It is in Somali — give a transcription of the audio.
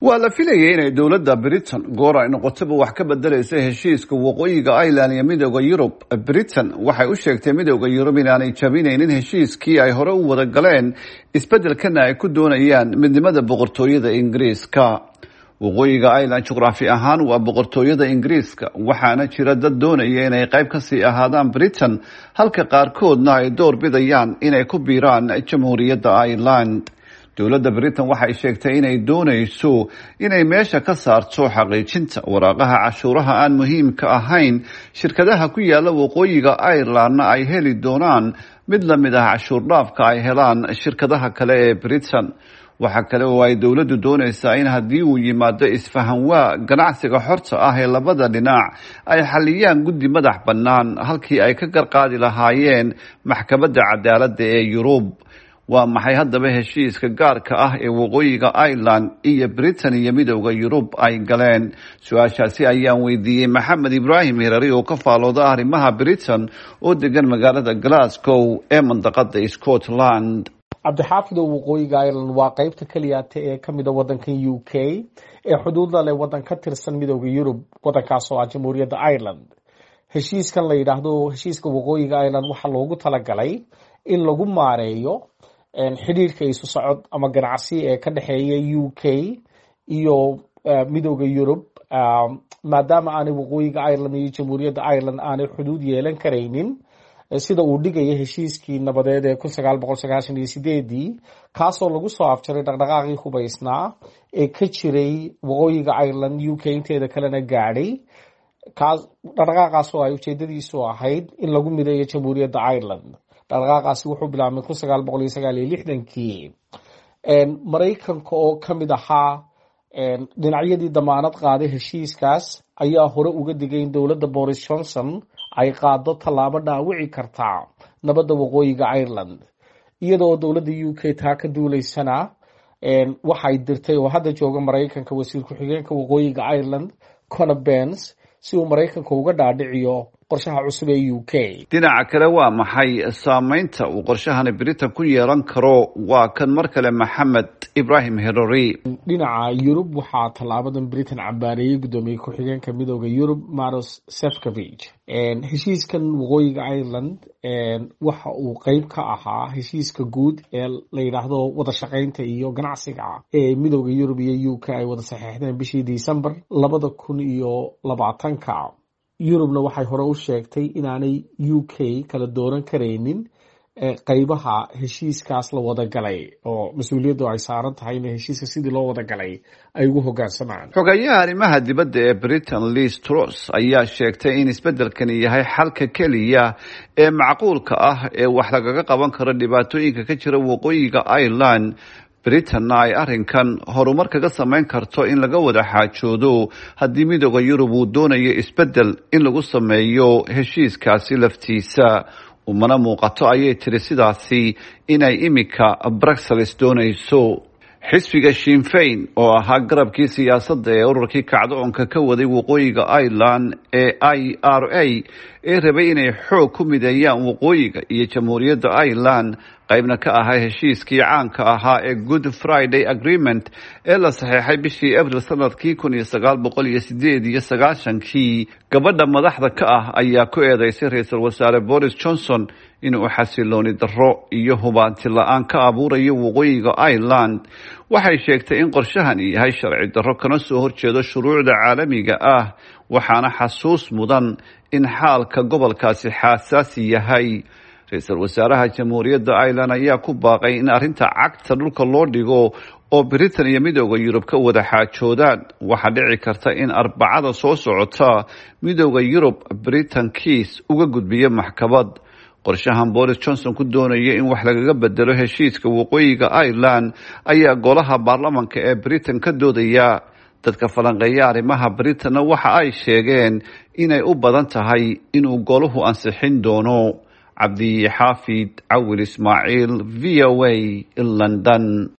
Waa la filayay inay dowladda Britain goor ay noqotaba wax ka bedelaysa heshiiska Waqooyiga Ireland iyo Midowda Yurub. Britain waxay u sheegtay Midowda Yurub inaanay jabinaynin heshiiskii ay hore u wada galeen, isbeddelkana ay ku doonayaan midnimada boqortooyada Ingiriiska. Waqooyiga Ireland juqraafi ahaan waa boqortooyada Ingiriiska, waxaana jira dad doonaya inay qayb kasii ahaadaan Britain, halka qaarkoodna ay door bidayaan inay ku biiraan Jamhuuriyadda Ireland. Dowladda Britain waxay sheegtay inay doonayso inay meesha ka saarto xaqiijinta waraaqaha cashuuraha aan muhiimka ahayn, shirkadaha ku yaala Waqooyiga Irelandna ay heli doonaan mid la mid ah cashuur dhaafka ay helaan shirkadaha kale ee Britain. Waxaa kale oo ay dowladdu doonaysaa in haddii uu yimaado isfahanwaa ganacsiga xorta ah ee labada dhinac, ay xaliyaan guddi madax bannaan halkii ay ka garqaadi lahaayeen Maxkamadda Cadaaladda ee Yurub. Waa maxay haddaba heshiiska gaarka ah ee Waqooyiga Ireland iyo Britain iyo Midowda Yurub ay galeen? Su-aashaasi ayaan weydiiyey Maxamed Ibraahim Hirari oo ka faalooda arrimaha Britain oo degan magaalada Glasgow ee mandaqada Scotland. Cabdixaafidow, Waqooyiga Ireland waa qeybta keliyaata ee kamida wadankan UK ee xuduudda leh wadan ka tirsan Midowda Yurub, wadankaas oo ah Jamhuuriyadda Ireland. Heshiiskan la yidhaahdo heshiiska Waqooyiga Ireland waxaa loogu talagalay in lagu maareeyo xidhiirka isu socod ama ganacsi ee ka dhexeeya UK iyo Midowda Yurub, maadaama aanay Waqooyiga Ireland iyo Jamhuuriyadda Ireland aanay xuduud yeelan karaynin, sida uu dhigaya heshiiskii nabadeed ee 1998-dii, kaasoo lagu soo afjaray dhaqdhaqaaqii hubaysnaa ee ka jiray Waqooyiga Ireland, UK inteeda kalena gaadhay. Kaas dhaqdhaqaaqaas oo ay ujeedadiisu ahayd in lagu mideeyo Jamhuuriyadda Ireland. Dhaqdhaqaaqaasi wuxuu bilaabmay 1969-kii. Maraykanka oo kamid ahaa dhinacyadii damaanad qaaday heshiiskaas ayaa hore uga digay in dowladda Boris Johnson ay qaado tallaabo dhaawici kartaa nabadda Waqooyiga Ireland. Iyadoo dowladda UK taa ka duuleysana, waxay dirtay oo hadda jooga Maraykanka wasiir ku-xigeenka Waqooyiga Ireland, Conor Bens, si uu Maraykanka uga dhaadhiciyo qorshaha cusub ee UK. Dhinaca kale, waa maxay saameynta uu qorshahani Britain ku yeelan karo? Waa kan mar kale Maxamed Ibrahim Herori. Dhinaca Yurub, waxaa tallaabadan Britain cambaareeyey guddoomiye ku-xigeenka Midowda Yurub, Maros Sefcovich. Heshiiskan Waqooyiga Ireland waxa uu qeyb ka ahaa heshiiska guud ee la yidhaahdo wada shaqeynta iyo ganacsiga ee Midowda Yurub iyo UK ay wada saxeexdeen bishii December 2020-ka. Yurubna waxay hore u sheegtay inaanay UK kala dooran karaynin qeybaha heshiiskaas la wada galay, oo mas-uuliyaddu ay saaran tahay in heshiiska sidii loo wada galay ay ugu hoggaansamaan. Xogayaha arrimaha dibadda ee Britain, Liz Truss, ayaa sheegtay in isbeddelkani yahay xalka keliya ee macquulka ah ee wax lagaga qaban karo dhibaatooyinka ka jira Waqooyiga Ireland, Britainna ay arrinkan horumar kaga samayn karto in laga wada xaajoodo haddii Midowda Yurub uu doonayo isbeddel in lagu sameeyo heshiiskaasi laftiisa. Umana muuqato, ayay tiri, sidaasi inay imika Brussels doonayso. Xisbiga Sinn Fein, oo ahaa garabkii siyaasadda ee ururkii kacdoonka ka waday Waqooyiga Ireland ee IRA ee rabay inay xoog ku mideeyaan Waqooyiga iyo Jamhuuriyadda Ireland, qaybna ka ahaa heshiiskii caanka ahaa ee Good Friday Agreement ee la saxeexay bishii Abril sanadkii 1998-kii, gabadha madaxda ka ah ayaa ku eedeysay ra-iisul wasaare Boris Johnson inuu xasilooni darro iyo hubaanti la-aan ka abuurayo Waqooyiga Ireland. Waxay sheegtay in qorshahani yahay sharci darro kana soo horjeedo shuruucda caalamiga ah, waxaana xasuus mudan in xaalka gobolkaasi xaasaasi yahay. Ra-iisul wasaaraha Jamhuuriyadda Ireland ayaa ku baaqay in arrinta cagta dhulka loo dhigo oo Britain iyo Midowda Yurub ka wada xaajoodaan. Waxaa dhici karta in Arbacada soo socota Midowda Yurub Britain kiis uga gudbiyo maxkamad. Qorshahan Boris Johnson ku doonayo in wax lagaga bedelo heshiiska Waqooyiga Ireland ayaa golaha baarlamanka ee Britain ka doodaya. Dadka falanqeeya arrimaha Britainna waxa ay sheegeen inay u badan tahay inuu goluhu ansixin doono. Cabdixaafid Cawil Ismaaciil, VOA, London.